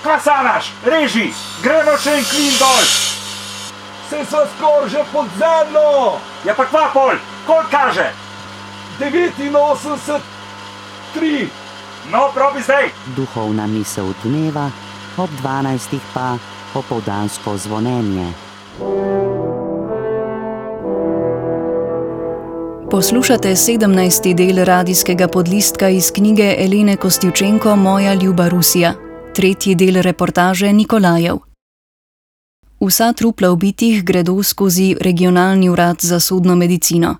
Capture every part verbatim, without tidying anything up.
Kaj sanaš? Reži, gremo še en klin dol. Se sva skor že pod zemljo. Ja pa kva pol, koliko kaže? devetinosemdeset tri. No, probi zdaj. Duhovna misel dneva, ob dvanajstih pa opoldansko zvonjenje. Poslušate sedemnajsti del radijskega podlistka iz knjige Elene Kostivčenko Moja ljuba Rusija, tretji del reportaže Nikolajev. Vsa trupla ubitih gredo skozi regionalni urad za sodno medicino.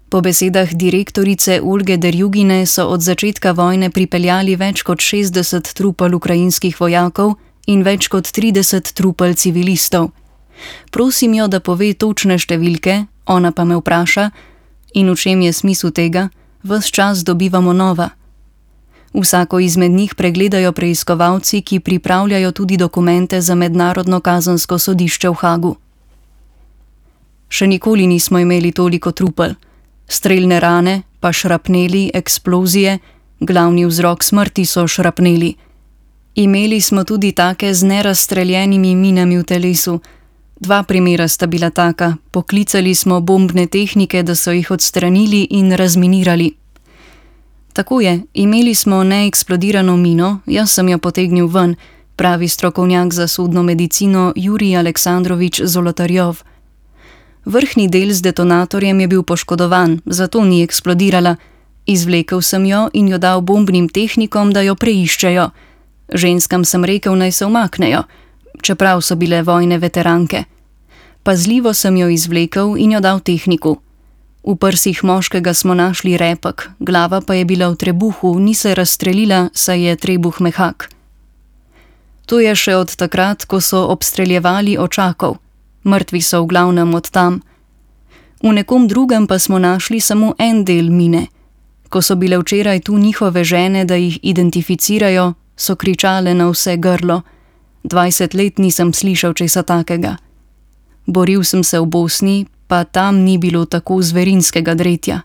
Po besedah direktorice Olge Derjugine so od začetka vojne pripeljali več kot šestdeset trupel ukrajinskih vojakov in več kot trideset trupel civilistov. Prosim jo, da pove točne številke, ona pa me vpraša, in v čem je smisel tega, ves čas dobivamo nova. Vsako izmed njih pregledajo preiskovalci, ki pripravljajo tudi dokumente za mednarodno kazensko sodišče v Hagu. Še nikoli nismo imeli toliko trupel. Strelne rane, pa šrapneli, eksplozije, glavni vzrok smrti so šrapneli. Imeli smo tudi take z nerazstreljenimi minami v telesu. Dva primera sta bila taka, poklicali smo bombne tehnike, da so jih odstranili in razminirali. Tako je, imeli smo neeksplodirano mino, jaz sem jo potegnil ven, pravi strokovnjak za sodno medicino Jurij Aleksandrovič Zolotarjov. Vrhnji del z detonatorjem je bil poškodovan, zato ni eksplodirala. Izvlekel sem jo in jo dal bombnim tehnikom, da jo preiščejo. Ženskam sem rekel, naj se umaknejo, čeprav so bile vojne veteranke. Pazljivo sem jo izvlekel in jo dal tehniku. V prsih moškega smo našli repek, glava pa je bila v trebuhu, ni se razstrelila, saj je trebuh mehak. To je še od takrat, ko so obstreljevali očakov. Mrtvi so v glavnem od tam. V nekom drugem pa smo našli samo en del mine. Ko so bile včeraj tu njihove žene, da jih identificirajo, so kričale na vse grlo. Dvajset let nisem slišal česa takega. Boril sem se v Bosni, pa tam ni bilo tako zverinskega dretja.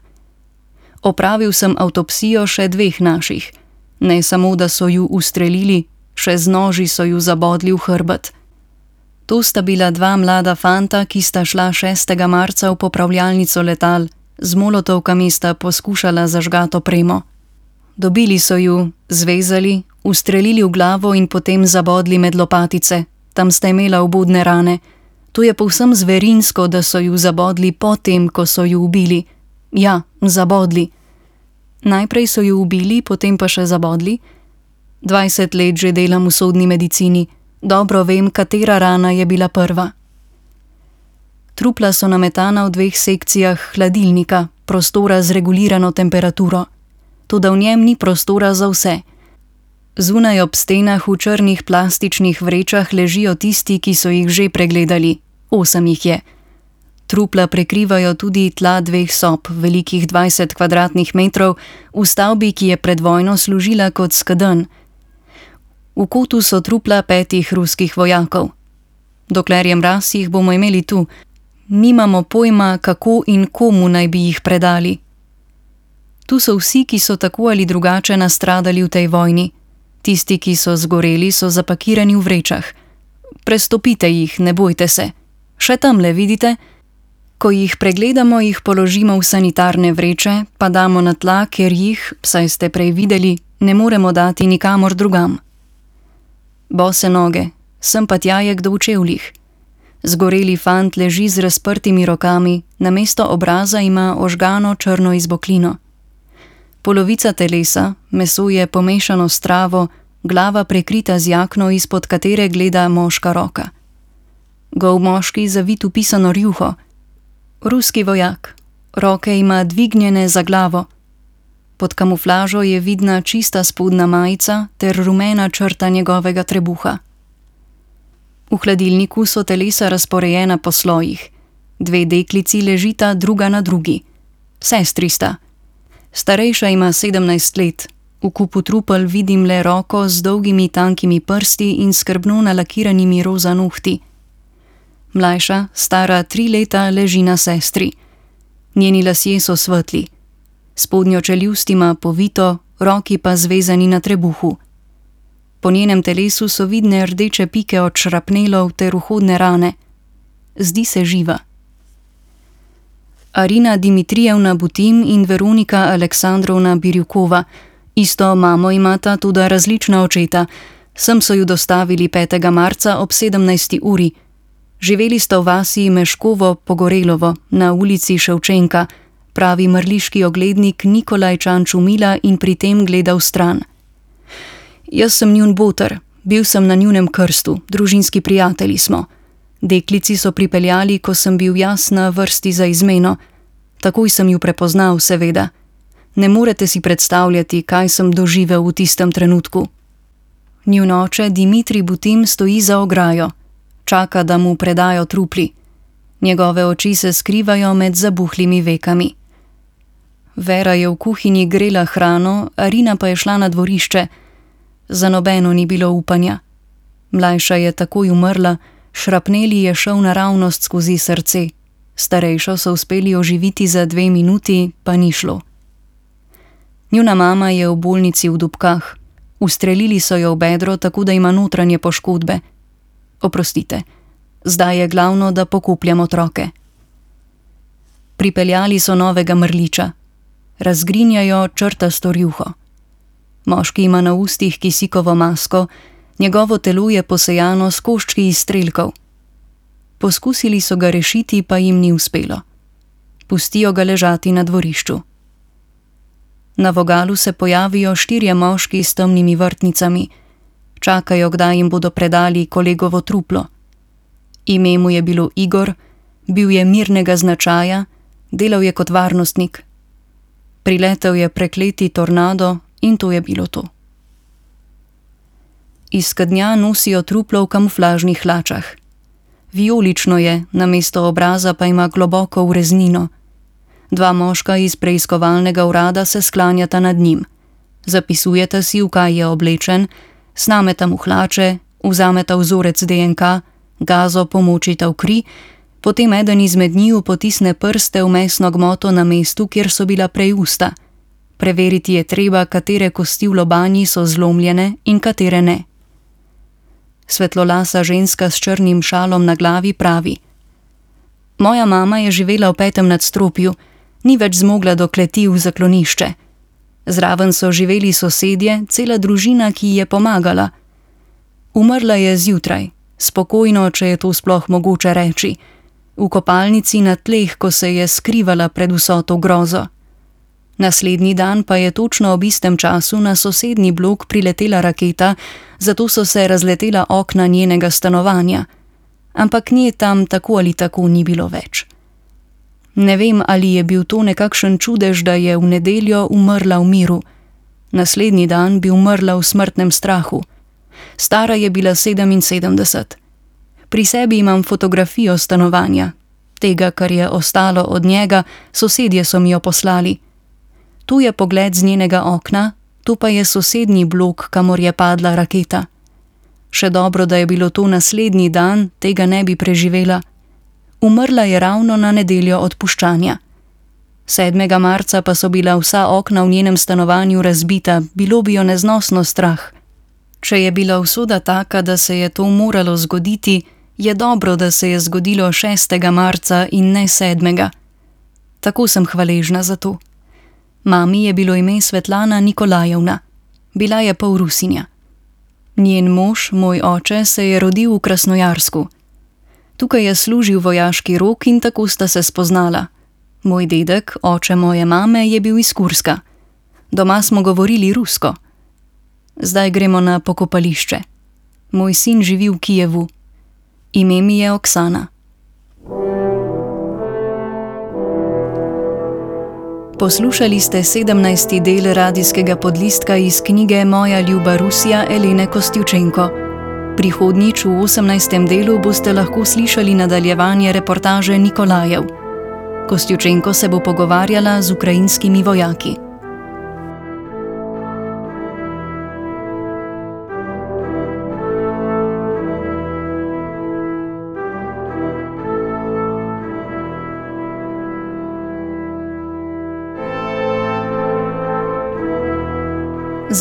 Opravil sem avtopsijo še dveh naših. Ne samo, da so ju ustrelili, še z noži so ju zabodli v hrbet. To sta bila dva mlada fanta, ki sta šla šestega marca v popravljalnico letal, z molotovkami sta poskušala zažgat opremo. Dobili so ju, zvezali, ustrelili v glavo in potem zabodli med lopatice, tam sta imela obudne rane. To je povsem zverinsko, da so ju zabodli potem, ko so ju ubili. Ja, zabodli. Najprej so ju ubili, potem pa še zabodli. Dvajset let že delam v sodni medicini. Dobro vem, katera rana je bila prva. Trupla so nametana v dveh sekcijah hladilnika, prostora z regulirano temperaturo. Toda v njem ni prostora za vse. Zunaj ob stenah v črnih plastičnih vrečah ležijo tisti, ki so jih že pregledali. Osem jih je. Trupla prekrivajo tudi tla dveh sob, velikih dvajset kvadratnih metrov, v stavbi, ki je pred vojno služila kot skedenj. V kotu so trupla petih ruskih vojakov. Dokler je mraz, jih bomo imeli tu. Nimamo pojma, kako in komu naj bi jih predali. Tu so vsi, ki so tako ali drugače nastradali v tej vojni. Tisti, ki so zgoreli, so zapakirani v vrečah. Prestopite jih, ne bojte se. Še tamle, vidite? Ko jih pregledamo, jih položimo v sanitarne vreče, pa damo na tla, ker jih, saj ste prej videli, ne moremo dati nikamor drugam. Bose noge, sem pa tja je kdo v čevljih. Zgoreli fant leži z razprtimi rokami, namesto obraza ima ožgano črno izboklino. Polovica telesa, meso je pomešano s travo, glava prekrita z jakno, izpod katere gleda moška roka. Gol moški zavit v pisano rjuho. Ruski vojak, roke ima dvignjene za glavo. Pod kamuflažo je vidna čista spodnja majica ter rumena črta njegovega trebuha. V hladilniku so telesa razporejena po slojih. Dve deklici ležita druga na drugi. Sestri sta. Starejša ima sedemnajst let. V kupu trupel vidim le roko z dolgimi tankimi prsti in skrbno nalakiranimi roza nohti. Mlajša, stara tri leta, leži na sestri. Njeni lasje so svetli. Spodnjo čeljust ima povito, roki pa zvezani na trebuhu. Po njenem telesu so vidne rdeče pike od šrapnelov ter vhodne rane. Zdi se živa. Arina Dimitrijevna Butim in Veronika Aleksandrovna Birjukova. Isto mamo imata, tudi različna očeta. Sem so ju dostavili petega marca ob sedemnajsti uri. Živeli sta v vasi Meškovo Pogorelovo na ulici Ševčenka, pravi mrliški oglednik Nikolaj Čančumila in pri tem gleda v stran. Jaz sem njun boter, bil sem na njunem krstu, družinski prijatelji smo. Deklici so pripeljali, ko sem bil jaz na vrsti za izmeno. Takoj sem ju prepoznal, seveda. Ne morete si predstavljati, kaj sem doživel v tistem trenutku. Njun oče Dimitrij Butim stoji za ograjo. Čaka, da mu predajo trupli. Njegove oči se skrivajo med zabuhlimi vekami. Vera je v kuhinji grela hrano, Arina pa je šla na dvorišče. Za nobeno ni bilo upanja. Mlajša je takoj umrla, šrapneli je šel naravnost skozi srce. Starejšo so uspeli oživiti za dve minuti, pa ni šlo. Njuna mama je v bolnici v Dubkah. Ustrelili so jo v bedro, tako da ima notranje poškodbe. Oprostite, zdaj je glavno, da pokupljam otroke. Pripeljali so novega mrliča. Razgrinjajo črtasto rjuho. Moški ima na ustih kisikovo masko, njegovo telo je posejano s koščki izstrelkov. Poskusili so ga rešiti, pa jim ni uspelo. Pustijo ga ležati na dvorišču. Na vogalu se pojavijo štirje moški s temnimi vrtnicami. Čakajo, kdaj jim bodo predali kolegovo truplo. Ime mu je bilo Igor, bil je mirnega značaja, delal je kot varnostnik. Priletel je prekleti tornado in to je bilo to. Iz skednja nosijo truplo v kamuflažnih hlačah. Vijolično je, namesto obraza pa ima globoko ureznino. Dva moška iz preiskovalnega urada se sklanjata nad njim. Zapisujeta si, v kaj je oblečen, snameta mu hlače, vzameta vzorec D N K, gazo pomočita v kri, potem eden izmed njiju potisne prste v mesno gmoto na mestu, kjer so bila prej usta. Preveriti je treba, katere kosti v lobanji so zlomljene in katere ne. Svetlolasa ženska s črnim šalom na glavi pravi: Moja mama je živela v petem nadstropju, ni več zmogla do kleti v zaklonišče. Zraven so živeli sosedje, cela družina, ki ji je pomagala. Umrla je zjutraj, spokojno, če je to sploh mogoče reči, v kopalnici na tleh, ko se je skrivala pred vso to grozo. Naslednji dan pa je točno ob istem času na sosednji blok priletela raketa, zato so se razletela okna njenega stanovanja. Ampak nje tam tako ali tako ni bilo več. Ne vem, ali je bil to nekakšen čudež, da je v nedeljo umrla v miru. Naslednji dan bi umrla v smrtnem strahu. Stara je bila sedeminsedemdeset. Pri sebi imam fotografijo stanovanja. Tega, kar je ostalo od njega, sosedje so mi jo poslali. Tu je pogled z njenega okna, tu pa je sosednji blok, kamor je padla raketa. Še dobro, da je bilo to naslednji dan, tega ne bi preživela. Umrla je ravno na nedeljo odpuščanja. sedmega marca pa so bila vsa okna v njenem stanovanju razbita, bilo bi jo neznosno strah. Če je bila usoda taka, da se je to moralo zgoditi, je dobro, da se je zgodilo šestega marca in ne sedmega. Tako sem hvaležna za to. Mami je bilo ime Svetlana Nikolajevna. Bila je pol Rusinja. Njen mož, moj oče, se je rodil v Krasnojarsku. Tukaj je služil vojaški rok in tako sta se spoznala. Moj dedek, oče moje mame, je bil iz Kurska. Doma smo govorili rusko. Zdaj gremo na pokopališče. Moj sin živi v Kijevu. Ime mi je Oksana. Poslušali ste sedemnajsti del radijskega podlistka iz knjige Moja ljuba Rusija Elene Kostjučenko. Prihodnjič v osemnajstem delu boste lahko slišali nadaljevanje reportaže Nikolajev. Kostjučenko se bo pogovarjala z ukrajinskimi vojaki.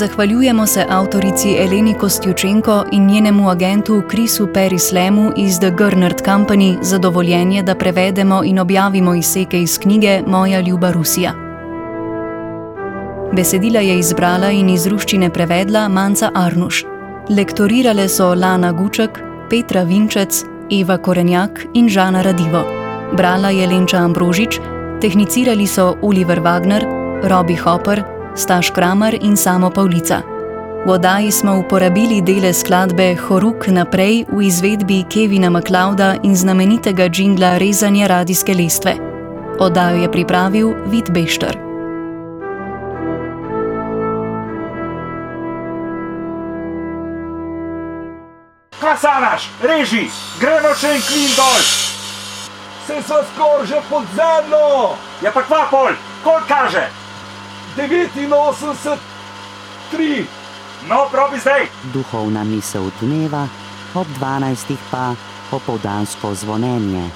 Zahvaljujemo se avtorici Eleni Kostjučenko in njenemu agentu Chrisu Perislemu iz The Gernert Company za dovoljenje, da prevedemo in objavimo izseke iz knjige Moja ljuba Rusija. Besedila je izbrala in iz ruščine prevedla Manca Arnuš. Lektorirale so Lana Guček, Petra Vinčec, Eva Korenjak in Žana Radivo. Brala je Lenča Ambrožič, tehnicirali so Oliver Wagner, Robi Hopper, Staš Kramer in Samo Pavlica. V oddaji smo uporabili dele skladbe Horuk naprej v izvedbi Kevina MacLeoda in znamenitega džingla Rezanja radijske lestve. Oddajo je pripravil Vid Bešter. Klasanaš, reži, gremo še en klin dol. Saj sva skoraj že pod zemljo. Ja pa kva pol, koliko kaže? devetinosemdeset tri. No, probi zdaj. Duhovna misel dneva, ob dvanajstih pa opoldansko zvonjenje.